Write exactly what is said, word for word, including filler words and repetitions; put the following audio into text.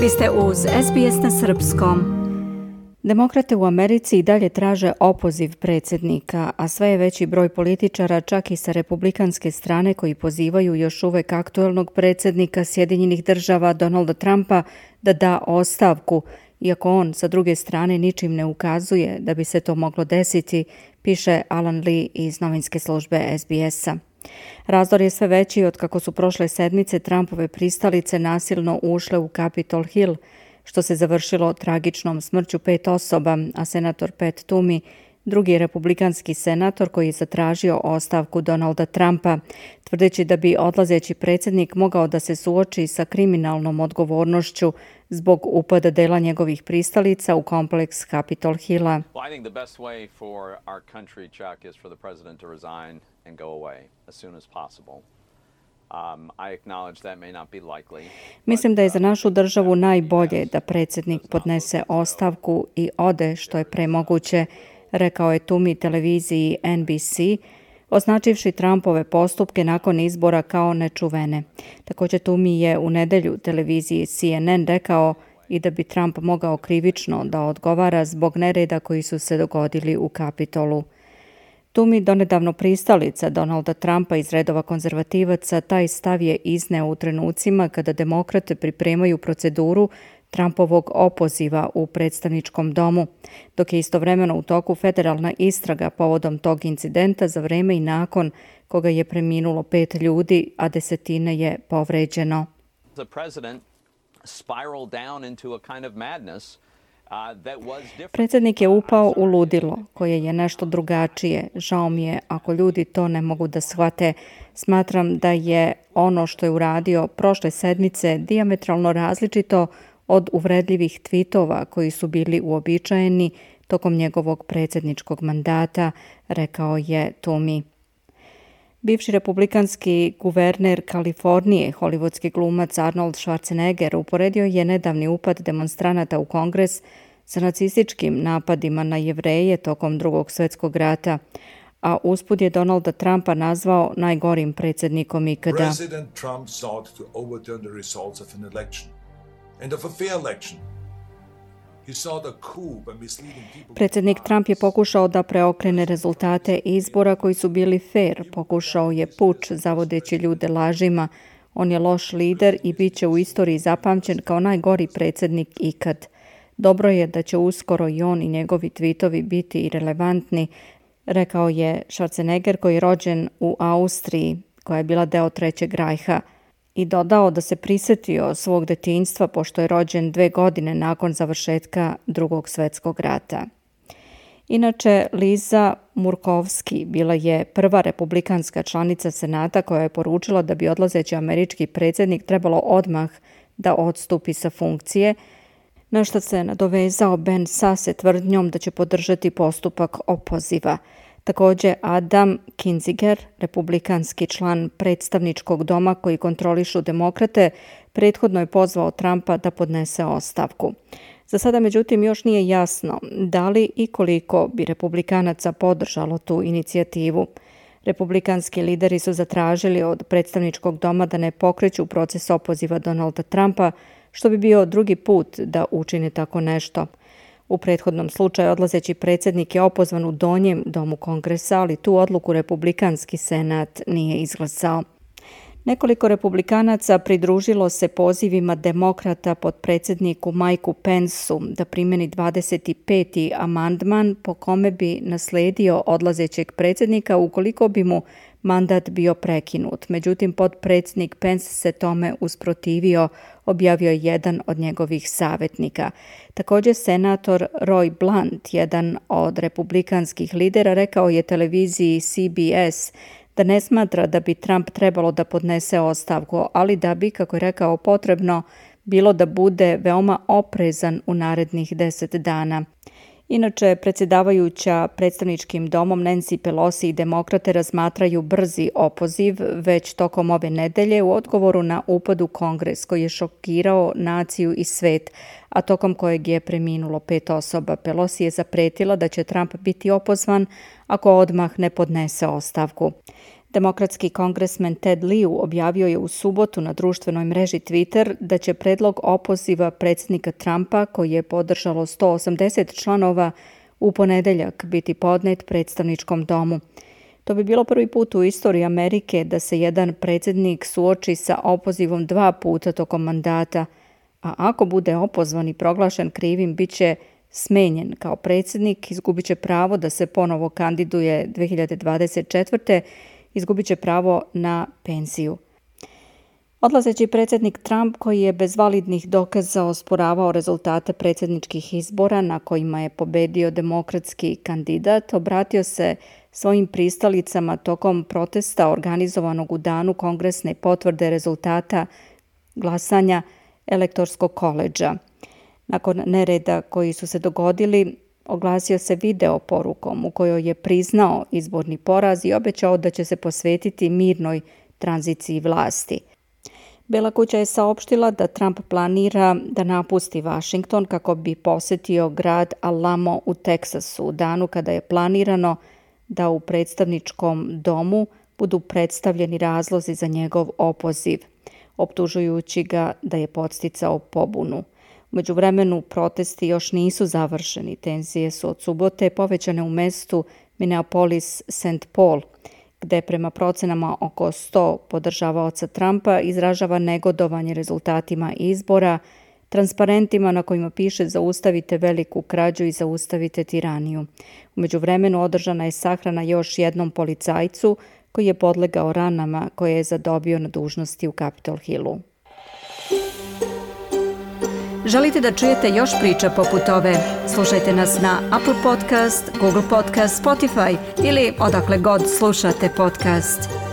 Vi ste uz S B S na srpskom. Demokrate u Americi i dalje traže opoziv predsjednika, a sve je veći broj političara, čak i sa republikanske strane, koji pozivaju još uvek aktuelnog predsjednika Sjedinjenih država Donalda Trumpa da da ostavku, iako on sa druge strane ničim ne ukazuje da bi se to moglo desiti, piše Alan Lee iz novinske službe S B S-a. Razdor je sve veći od kako su prošle sedmice Trumpove pristalice nasilno ušle u Capitol Hill, što se završilo tragičnom smrću pet osoba, a senator Pat Toomey, drugi republikanski senator koji je zatražio ostavku Donalda Trumpa, tvrdeći da bi odlazeći predsjednik mogao da se suoči sa kriminalnom odgovornošću zbog upada dela njegovih pristalica u kompleks Capitol Hilla. Mislim da je za našu državu najbolje da predsjednik podnese ostavku i ode što je pre moguće, rekao je Toomey televiziji N B C, označivši Trumpove postupke nakon izbora kao nečuvene. Također Toomey je u nedelju televiziji C N N rekao i da bi Trump mogao krivično da odgovara zbog nereda koji su se dogodili u Kapitolu. Toomey, donedavno pristalica Donalda Trumpa iz redova konzervativaca, taj stav je izneo u trenucima kada demokrate pripremaju proceduru Trumpovog opoziva u predstavničkom domu, dok je istovremeno u toku federalna istraga povodom tog incidenta za vreme i nakon koga je preminulo pet ljudi, a desetine je povređeno. Predsjednik je upao u ludilo, koje je nešto drugačije. Žao mi je ako ljudi to ne mogu da shvate. Smatram da je ono što je uradio prošle sedmice dijametralno različito od uvredljivih tvitova koji su bili uobičajeni tokom njegovog predsjedničkog mandata, rekao je Toomey. Bivši republikanski guverner Kalifornije, hollywoodski glumac Arnold Schwarzenegger, uporedio je nedavni upad demonstranata u Kongres sa nacističkim napadima na Jevreje tokom Drugog svjetskog rata, a usput je Donalda Trumpa nazvao najgorim predsjednikom ikada. President Trump sought to overturn the results of an election and of a fair election. Predsjednik Trump je pokušao da preokrene rezultate izbora koji su bili fair. Pokušao je puč zavodeći ljude lažima. On je loš lider i bit će u istoriji zapamćen kao najgori predsjednik ikad. Dobro je da će uskoro i on i njegovi tvitovi biti irelevantni, rekao je Schwarzenegger, koji je rođen u Austriji, koja je bila deo Trećeg rajha, i dodao da se prisjetio svog detinjstva pošto je rođen dve godine nakon završetka Drugog svjetskog rata. Inače, Liza Murkowski bila je prva republikanska članica Senata koja je poručila da bi odlazeći američki predsjednik trebalo odmah da odstupi sa funkcije, na što se nadovezao Ben Sasse tvrdnjom da će podržati postupak opoziva. Također Adam Kinzinger, republikanski član predstavničkog doma koji kontrolišu demokrate, prethodno je pozvao Trumpa da podnese ostavku. Za sada, međutim, još nije jasno da li i koliko bi republikanaca podržalo tu inicijativu. Republikanski lideri su zatražili od predstavničkog doma da ne pokreću proces opoziva Donalda Trumpa, što bi bio drugi put da učine tako nešto. U prethodnom slučaju odlazeći predsjednik je opozvan u donjem domu Kongresa, ali tu odluku republikanski senat nije izglasao. Nekoliko republikanaca pridružilo se pozivima demokrata potpredsjedniku Mikeu Pensu da primjeni dvadeset peti amandman po kome bi nasledio odlazećeg predsjednika ukoliko bi mu mandat bio prekinut. Međutim, potpredsjednik Pence se tome usprotivio, objavio je jedan od njegovih savjetnika. Također senator Roy Blunt, jedan od republikanskih lidera, rekao je televiziji C B S da ne smatra da bi Trump trebalo da podnese ostavku, ali da bi, kako je rekao, potrebno bilo da bude veoma oprezan u narednih deset dana. Inače, predsjedavajuća predstavničkim domom Nancy Pelosi i demokrate razmatraju brzi opoziv već tokom ove nedelje u odgovoru na upad u Kongres koji je šokirao naciju i svet, a tokom kojeg je preminulo pet osoba. Pelosi je zapretila da će Trump biti opozvan ako odmah ne podnese ostavku. Demokratski kongresmen Ted Lieu objavio je u subotu na društvenoj mreži Twitter da će predlog opoziva predsjednika Trumpa, koji je podržalo sto osamdeset članova, u ponedeljak biti podnet predstavničkom domu. To bi bilo prvi put u istoriji Amerike da se jedan predsjednik suoči sa opozivom dva puta tokom mandata, a ako bude opozvan i proglašen krivim, bit će smenjen kao predsjednik, izgubit će pravo da se ponovo kandiduje dve hiljade dvadeset četvrte izgubit će pravo na penziju. Odlazeći predsjednik Trump, koji je bez validnih dokaza osporavao rezultate predsjedničkih izbora na kojima je pobedio demokratski kandidat, obratio se svojim pristalicama tokom protesta organizovanog u danu kongresne potvrde rezultata glasanja Elektorskog koledža. Nakon nereda koji su se dogodili, oglasio se video porukom u kojoj je priznao izborni poraz i obećao da će se posvetiti mirnoj tranziciji vlasti. Bela kuća je saopštila da Trump planira da napusti Washington kako bi posjetio grad Alamo u Teksasu u danu kada je planirano da u predstavničkom domu budu predstavljeni razlozi za njegov opoziv, optužujući ga da je podsticao pobunu. U međuvremenu protesti još nisu završeni. Tenzije su od subote povećane u mestu Minneapolis Saint Paul, gde prema procenama oko sto podržavaoca Trumpa izražava negodovanje rezultatima izbora, transparentima na kojima piše zaustavite veliku krađu i zaustavite tiraniju. U međuvremenu održana je sahrana još jednom policajcu koji je podlegao ranama koje je zadobio na dužnosti u Capitol Hillu. Želite da čujete još priča poput ove? Slušajte nas na Apple Podcast, Google Podcast, Spotify ili odakle god slušate podcast.